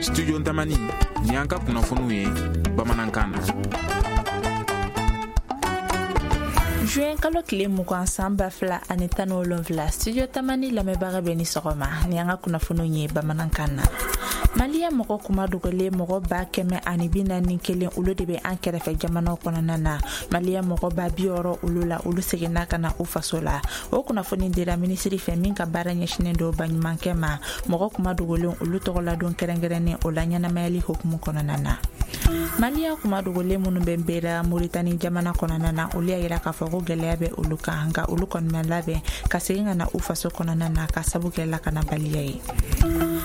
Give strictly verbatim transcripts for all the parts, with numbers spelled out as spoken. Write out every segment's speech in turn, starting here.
Studio Tamani, ni an ka kunnafoniw ye bamanankan na. Juin kalo tile mugan san ba fila ani tan ni wolonfila, Studio Tamani lamɛnbaga bɛ ni sɔgɔma ni an ka kunnafoniw ye bamanankan na. Maliyɛn mɔgɔ kuma dogolen mɔgɔ ba kɛmɛ ani bi naani kelen, olu de bɛ an kɛrɛfɛ jamanaw kɔnɔna na. Maliyɛn mɔgɔ ba bi wɔɔrɔ olu la, olu seginna ka na u faso la. O kunnafoni dira minisiri fɛ min ka baara ɲɛsinnen don baɲumankɛ ma. Mɔgɔ kuma dogolen olu tɔgɔladon kɛrɛnkɛrɛnnen o la ɲɛnamayali hukumu kɔnɔna na. Maliyɛn kuma dogolen minnu bɛ Nbera Moritani jamana kɔnɔna na, olu y'a yira k'a fɔ ko gɛlɛya bɛ olu kan, nka olu kɔni ma labɛn ka segin ka na u faso kɔnɔna na ka sabu kɛ lakanabaliya ye.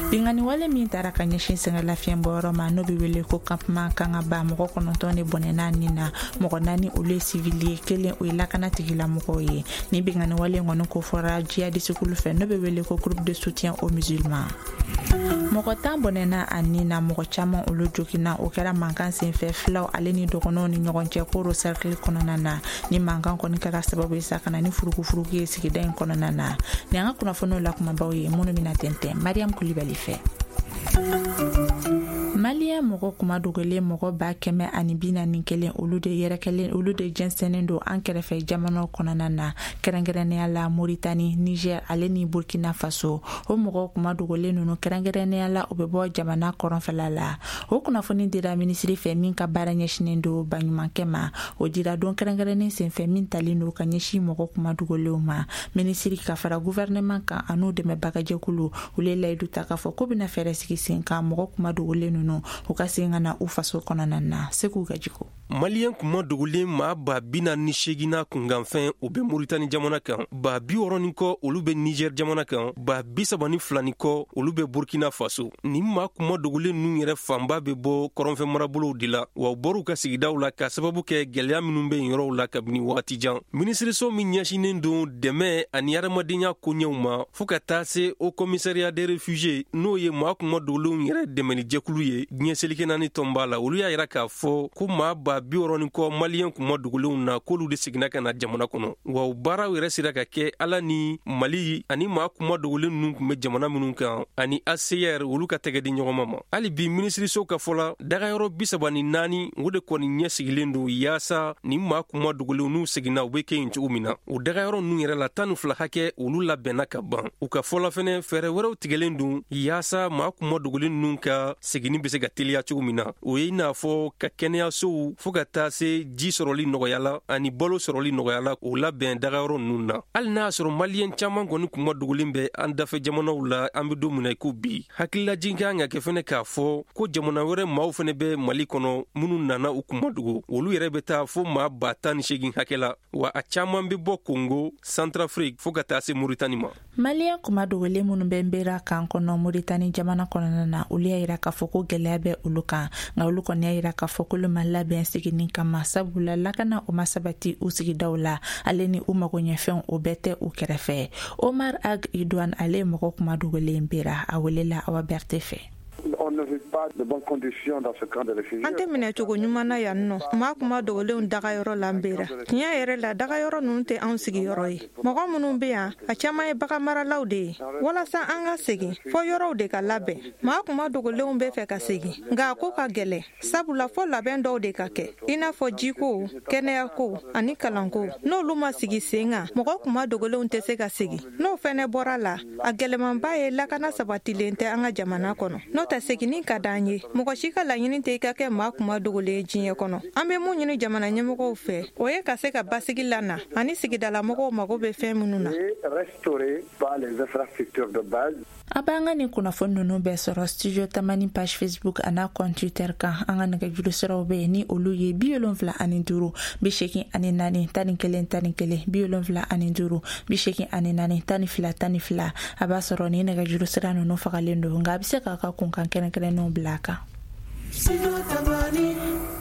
Binkanni wale min taara ka ɲɛsin sɛgɛnlafiɲɛbɔyɔrɔ ma, n'o bɛ wele ko campement Kangaba, mɔgɔ kɔnɔntɔn de bɔnɛna nin na. Mɔgɔ naani olu ye sivili ye, kelen o ye lakana tigilamɔgɔw ye. Ni binkanni wale kɔni ko fɔra jihadisikulu fɛ, n'o bɛ wele ko groupe de soutien aux musulmans. Mɔgɔ tan bɔnɛna a nin na, mɔgɔ caman olu joginna. O kɛra mankan senfɛ filaw ale ni dɔgɔnɔw ni ɲɔgɔn cɛ Koro cercle kɔnɔna na. Ni mankan kɔni kɛra sababu ye sa ka na ni furukufuruku ye sigida in kɔnɔna na. Ni an ka kunnafoniw la kumabaw ye minnu bɛna tɛntɛn Mariam Kulibali fɛ. Maliyɛn mɔgɔ kuma dogolen mɔgɔ ba kɛmɛ ani bi naani kelen, olu de yɛrɛkɛlen, olu de jɛnsɛnnen don an kɛrɛfɛ jamanaw kɔnɔna na, kɛrɛnkɛrɛnnenya la Moritani, Niger ale ni Burkina Faso. O mɔgɔ kuma dogolen ninnu, kɛrɛnkɛrɛnnenya la, u bɛ bɔ jamana kɔrɔnfɛla la. O kunnafoni dira minisiri fɛ min ka baara ɲɛsinnen don baɲumankɛ ma. O dira don kɛrɛnkɛrɛnnen senfɛ min talen don ka ɲɛsin mɔgɔ kuma dogolenw ma. Minisiri ka fara gouvernement kan an'u dɛmɛbagajɛkulu, olu ye layidu ta k'a fɔ k'u bɛna fɛɛrɛ sigi sen kan mɔgɔ kuma dogolen ninnu u ka segin ka na u faso kɔnɔna na. Segu Gajiko. Maliyɛn kuma dogolen maa ba bi naani ni seegin kunkanfɛn, o bɛ Moritani jamana kan, ba bi wɔɔrɔ ni kɔ olu bɛ Niger jamana kan, ba bi saba ni fila ni kɔ olu bɛ Burkina Faso. Nin maa kuma dogolen ninnu yɛrɛ fanba bɛ bɔ kɔrɔnfɛ marabolow de la, wa u bɔr'u ka sigidaw la k'a sababu kɛ gɛlɛya minnu bɛ yen yɔrɔw la kabini wagati jan. Minisiriso min ɲɛsinnen don dɛmɛ ani adamadenya koɲɛw ma, fɔɔ ka taa se Haut Commissariat des réfugiés, n'o ye maa kuma dogolenw yɛrɛ dɛmɛnijɛkulu ye diɲɛ seleke naani tɔnba la, olu y'a yira k'a fɔ ko maa ba bi wɔɔrɔ ni kɔ maliyɛn kuma dogolenw na, k'olu de seginna ka na jamana kɔnɔ. Wa o baaraw yɛrɛ sera ka kɛ ala ni Mali ani maa kuma dogolen ninnu tun bɛ jamana minnu kan ani A C R, olu ka tɛgɛ di ɲɔgɔn ma. Hali bi, minisiriso ka fɔ la, dagayɔrɔ bi saba ni naani, o de kɔni ɲɛ sigilen don yaasa nin maa kuma dogolenw n'u seginna, u bɛ kɛ yen cogo min na. O dagayɔrɔ ninnu yɛrɛ la, tan ni fila hakɛ, olu labɛnna ka ban. U ka fɔ la fɛnɛ, fɛɛrɛ wɛrɛw tigɛlen don yaasa maa kuma dogolen ninnu ka seginni bɛ se ka teliya cogo min na. O ye i n'a fɔ ka kɛnɛyasow, fɔɔ ka taa se ji sɔrɔli nɔgɔya la ani balo sɔrɔli nɔgɔya la, o labɛn dagayɔrɔ ninnu na. Hali n'a y'a sɔrɔ maliyɛn caaman kɔni kuma dogolen bɛ an dafɛ jamanaw la, an be don min na i ko bi, hakililajigin kan ka kɛ fɛnɛ k'a fɔ ko jamana wɛrɛ maaw fɛnɛ bɛ Mali kɔnɔ minnu nana u kuma dogo. Olu yɛrɛ bɛ taa fo maa ba tan ni segin hakɛ la, wa a caaman be bɔ Kongo, Centrafrique, fɔɔ ka taa se Moritani ma. Maliyɛn kuma dogolen minnu bɛ Nbera kan kɔnɔ Moritani jamana kɔnɔna na, olu y'a yira k'a fɔ ko gɛlɛya bɛ olu kan, nka olu kɔni y'a yira k'a fɔ k'olu ma labɛn seginni kama, sabula lakana o ma sabati u sigidaw la, ale ni u magoɲɛfɛnw o bɛɛ tɛ u kɛrɛfɛ. Omar Ag Idouane, ale ye mɔgɔ kuma dogolen Bera, a welela Awa Berte fɛ. On ne vit pas de bonnes conditions dans ce camp de réfugiés. An tɛ minɛ cogo ɲuman na yan nɔ maa kuma dogolenw dagayɔrɔ la Nbera. Tiɲɛ yɛrɛ la, dagayɔrɔ ninnu tɛ anw sigiyɔrɔ ye. Mɔgɔ minnu bɛ yan, a caman ye bagan maralaw de ye. Walasa an ka segin, fɔ yɔrɔw de ka labɛn. Maa kuma dogolenw bɛ fɛ ka segin, nka a ko ka gɛlɛn, sabula fɔ labɛn dɔw de ka kɛ, i n'a fɔ jiko, kɛnɛyako ani kalanko. N'olu ma sigi sen kan, mɔgɔ kuma dogolenw tɛ se ka segin. N'o fɛnɛ bɔra la, a gɛlɛmanba ye lakana sabatilen tɛ an ka jamana kɔnɔ. N'o tɛ, seginni ka d'an ye. Mɔgɔ si ka laɲini tɛ i ka kɛ maa kuma dogolen ye diɲɛ kɔnɔ. An bɛ mun ɲini jamana ɲɛmɔgɔw fɛ, o ye ka se ka basigi lana ani sigidalamɔgɔw mago bɛ fɛn minnu na. Restaurer par les infrastructures de base. A b'an ka nin kunnafoni ninnu bɛɛ sɔrɔ Studio Tamani page Facebook a n'a compte Twitter kan. An ka nɛgɛjuru siraw bɛ yen ni olu ye bi wolonfila ani duuru bi seegin ani naani tan ni kelen tan ni kelen, bi wolonfila ani duuru bi seegin ani naani tan ni fila tan ni fila. A b'a sɔrɔ ni nɛgɛjuru sira ninnu fagalen don, nka a bɛ se k'a ka kunkan kɛrɛnkɛrɛnnenw bila a kan.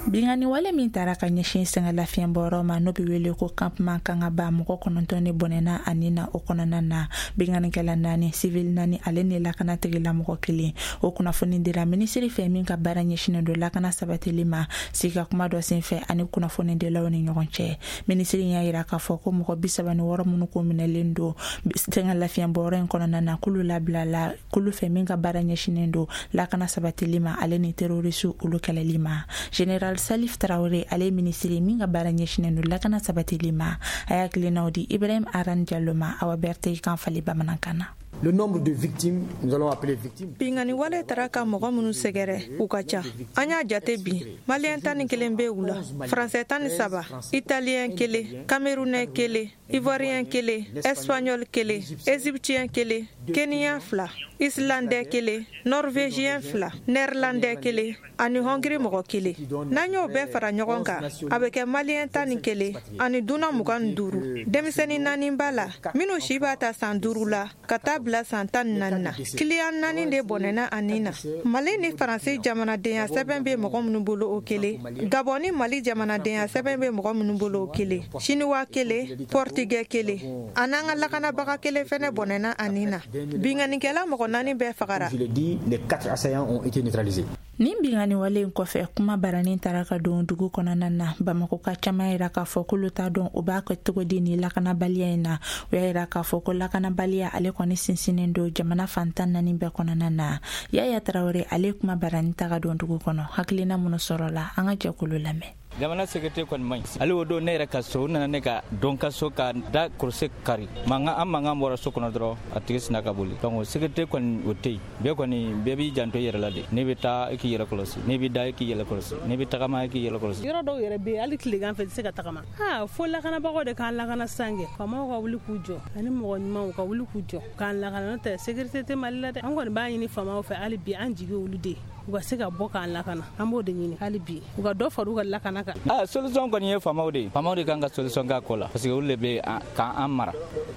Binkanni wale min taara ka ɲɛsin sɛgɛnlafiɲɛbɔyɔrɔ ma, n'o bɛ wele ko campement Kangaba, mɔgɔ kɔnɔntɔn de bɔnɛna ani na o kɔnɔna na. Binkannikɛla naani, civil naani, ale ni lakana tigilamɔgɔ kelen. O kunnafoni dira minisiri fɛ min ka baara ɲɛsinnen don lakana sabatili ma, sigi ka kuma dɔ senfɛ ani kunnafonidilaw ni ɲɔgɔn cɛ. Minisiri y'a yira k'a fɔ ko mɔgɔ bi saba ni wɔɔrɔ minnu ko minɛlen don sɛgɛnlafiɲɛbɔyɔrɔ in kɔnɔna na, k'olu labilala k'olu fɛ min ka baara ɲɛsinnen don lakana sabatili ma, ale ni terroriste olu kɛlɛli ma. Général Salif Traoré, ale minisiri min ka baara ɲɛsinnen don lakana sabatili ma, a y'a hakilinaw di Ibrahim Aran Diallo ma, Awa Berthe kan fali bamanankan na. Le nombre de victimes, nous allons appeler victimes. Binkanni wale taara ka mɔgɔ minnu sɛgɛrɛ, u ka ca. An y'a jate bi, Maliyɛn tan ni kelen bɛ u la, Faransɛ tan ni saba, Italiyɛn kelen, Camerounais kelen, Ivoirien kelen, Espagnol kelen, Égyptien kelen, Kenyan fila, Islandais kelen, Norvégien fila, Néerlandais kelen ani Hongrie mɔgɔ kelen. N'an y'o bɛɛ fara ɲɔgɔn kan, a bɛ kɛ Maliyɛn tan ni kelen ani dunan mugan ni duuru. Denmisɛnnin naani b'a la minnu si b'a ta san duuru la ka taa bila san tan ni naani na. Kiliyan naani de bɔnɛna a nin na. Mali ni Faransi jamanadenya sɛbɛn bɛ mɔgɔ minnu bolo, o kelen. Gabɔn ni Mali jamanadenya sɛbɛn bɛ mɔgɔ minnu bolo, o kelen. Siniwa kelen, Portugais kelen, a n'an ka lakanabaga kelen fɛnɛ bɔnɛna a nin na. Binkannikɛla mɔgɔ naani bɛɛ fagara. Je l'ai dit, les quatre assaillants ont été neutralisés. Nin binkanni wale in kɔfɛ, kuma baranin taara ka don dugu kɔnɔna na. Bamakɔ ka caman yira k'a fɔ k'olu t'a dɔn u b'a kɛ cogo di ni lakanabaliya in na. U y'a yira k'a fɔ ko lakanabaliya ale kɔni sinsinnen don jamana fan tan naani bɛɛ kɔnɔna na. Yaya Tarawele, ale kuma baranin ta ka don dugu kɔnɔ, hakilina minnu sɔrɔla, an ka jɛkulu lamɛn. Jamana sécurité kɔni man ɲi. Hali o don, ne yɛrɛ ka so, u nana ne ka don ka so ka da korose kari. Mankan, an mankan bɔra so kɔnɔ dɔrɔn, a tigi sina ka boli. Donc o sécurité kɔni, o tɛ yen. Bɛɛ kɔni, bɛɛ b'i janto i yɛrɛ la de. N'i bɛ taa, i k'i yɛrɛ kɔlɔsi. N'i bɛ da, i k'i yɛrɛ kɔlɔsi. N'i bɛ tagama, i k'i yɛrɛ kɔlɔsi. Yɔrɔ dɔw yɛrɛ bɛ yen, hali tilegan fɛ, i tɛ se ka tagama. Aa, fo lakanabagaw de k'an lakana sisan kɛ. Faamaw ka wuli k'u jɔ ani mɔgɔ ɲumanw ka wuli k'u jɔ k'an lakana, n'o tɛ sécurité tɛ Mali la dɛ. An kɔni b'a ɲini faamaw fɛ hali bi, an jigi olu de ye, u ka se ka bɔ k'an lakana. An b'o de ɲini hali bi, u ka dɔ fara u ka lakana kan. Ah, solution kɔni ye faamaw de ye. Faamaw de kan ka solution k'a ko la, parce que olu de bɛ k'an mara.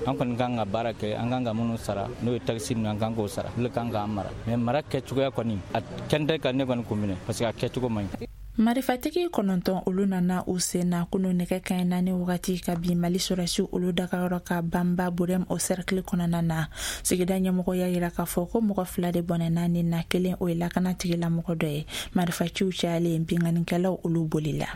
An kɔni kan ka baara kɛ, an kan ka minnu sara, n'o ye taxe ninnu, an kan k'o sara, olu de kan k'an mara. Mais mara kɛcogoya kɔni, a kɛn tɛ ka ne kɔni kun minɛ, parce que a kɛcogo man ɲi. Marifatigi kɔnɔntɔn olu nana u sen na kunu nɛgɛ kaɲɛ naani wagati ka bin Mali sɔrɔsiw olu dagayɔrɔ ka Banba Burem o cercle kɔnɔna na. Sigida ɲɛmɔgɔ y'a yira k'a fɔ ko mɔgɔ fila de bɔnɛna nin na, kelen o ye lakana tigilamɔgɔ dɔ ye. Marifaciw cayalen, binkannikɛlaw olu bolila.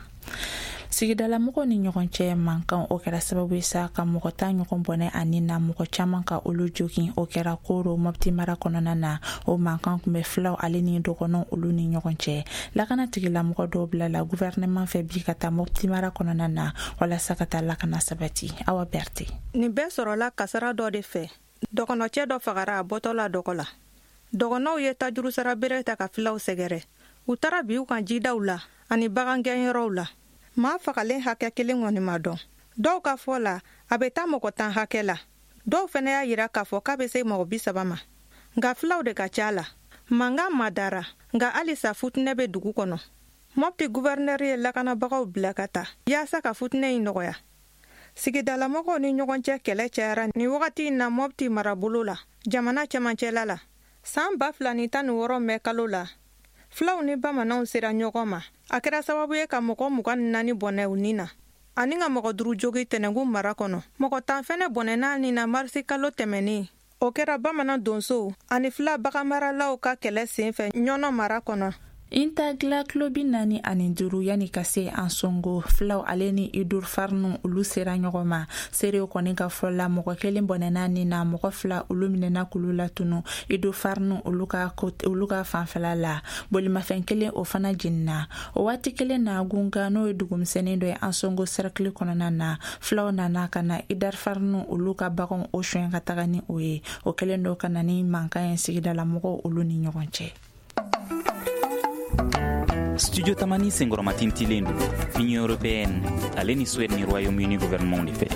Sigidalamɔgɔw ni ɲɔgɔn cɛ mankan, o kɛra sababu ye sa ka mɔgɔ tan ɲɔgɔn bɔnɛ ani na, mɔgɔ caman ka olu jogin. O kɛra Koro Mopti mara kɔnɔna na. O mankan tun bɛ filaw ale ni dɔgɔnɔw olu ni ɲɔgɔn cɛ. Lakana tigilamɔgɔ dɔw bilala gouvernement fɛ bi ka taa Mopti mara kɔnɔna na walasa ka taa lakana sabati. Awa Berthe. Nin bɛɛ sɔrɔla kasara dɔ de fɛ. Dɔgɔnɔcɛ dɔ fagara a bɔtɔ la dɔgɔ la. Dɔgɔnɔw ye tajurusara bere ta ka filaw sɛgɛrɛ. U taara bi u kan jidaw la ani bagangɛnyɔrɔw la. Maa fagalen hakɛ kelen kɔni ma dɔn. Dɔw ka fɔ la, a bɛ taa mɔgɔ tan hakɛ la. Dɔw fɛnɛ y'a yira k'a fɔ k'a bɛ se mɔgɔ bi saba ma. Nka filaw de ka ca la. Mankan ma dara, nka halisa futinɛ bɛ dugu kɔnɔ. Mopti gouverneur ye lakanabagaw bila ka taa yaasa ka futinɛ in nɔgɔya. Sigidalamɔgɔw ni ɲɔgɔn cɛ kɛlɛ cayara nin wagati in na Mopti marabolo la, jamana cɛmancɛla la. San ba fila ni tan ni wɔɔrɔ mɛ kalo la, filaw ni bamananw sera ɲɔgɔn ma. A kɛra sababu ye ka mɔgɔ mugan ni naani bɔnɛ u ni na, ani ka mɔgɔ duuru jogi Tɛnɛnkun mara kɔnɔ. Mɔgɔ tan fɛnɛ bɔnɛna nin na marisi kalo tɛmɛnen. O kɛra bamanan donsow ani fila baganmaralaw ka kɛlɛ senfɛ Ɲɔnɔ mara kɔnɔ. Intagla kilo bi naani ani duuru yanni ka se Ansongo, filaw ale ni Idur Farnu olu sera ɲɔgɔn ma. Seerew kɔni ka fɔ la, mɔgɔ kelen bɔnɛna nin na, mɔgɔ fila olu minɛna k'olu latunu Idur Farnu olu ka olu ka fanfɛla la. Bolimafɛn kelen o fana jiginna. O waati kelen na, Gunga, n'o ye dugumisɛnnin dɔ ye Ansongo cercle kɔnɔna na, filaw nana ka na Idar Farnu olu ka baganw o suɲɛ ka taga ni o ye. O kɛlen don ka na ni mankan ye sigidala mɔgɔw olu ni ɲɔgɔn cɛ. Studio Tamani senkɔrɔmatintilen don Union européenne ale ni Suède ni Royaume-Uni gouvernement de fɛ.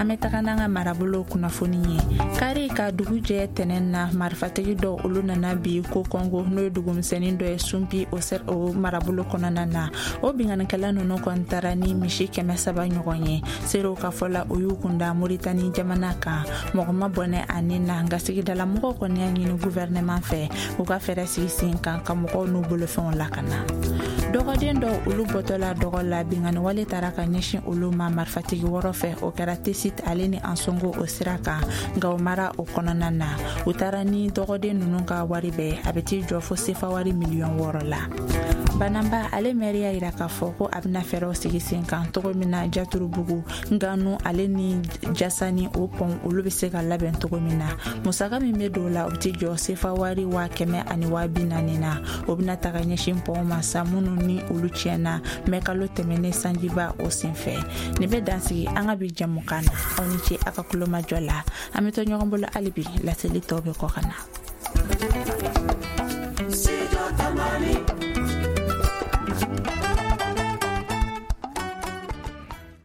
An bɛ taga n'an ka marabolo kunnafoni ye. Kari ka dugu jɛ tɛnɛn na, marifatigi dɔw olu nana bi ko Kɔngo, n'o ye dugumisɛnnin dɔ ye Sunpi o, o marabolo kɔnɔna na. O binkannikɛla ninnu kɔni taara ni misi kɛmɛ saba ɲɔgɔn ye. Seerew ka fɔ la, o y'u kunda Moritani jamana kan. Mɔgɔ ma bɔnɛ ani na, nka sigidala mɔgɔw kɔni y'a ɲini gouvernement fɛ u ka fɛɛrɛ sigi sen kan ka mɔgɔw n'u bolofɛnw lakana. Dɔgɔden dɔw olu bɔtɔla dɔgɔ la, binkanni wale taara ka ɲɛsin olu ma marifatigi wɔɔrɔ fɛ. O kɛra Tesit ale ni Ansongo o sira kan, nka o mara o kɔnɔna na. U taara ni dɔgɔden ninnu ka wari bɛɛ, a bɛ t'i jɔ fo sefa wari miliyɔn wɔɔrɔ la. Bananba ale mɛri y'a yira k'a fɔ ko a bɛna fɛɛrɛw sigi sen kan cogo min na Jaturubugu, Nganu ale ni Jasani o pɔn olu bɛ se ka labɛn cogo min na. Musaka min bɛ don o la, o bɛ t'i jɔ sefa wari waa kɛmɛ ani waa bi naani na. O bɛna taga ɲɛsin pɔnw ma sa minnu ni olu tiɲɛna mɛ kalo tɛmɛnen sanjiba o senfɛ. Nin bɛ dansigi an ka bi jɛmukan na. Aw ni ce a ka kulomajɔ la. An bɛ to ɲɔgɔn bolo hali bi, laseli tɔw bɛ kɔ ka na.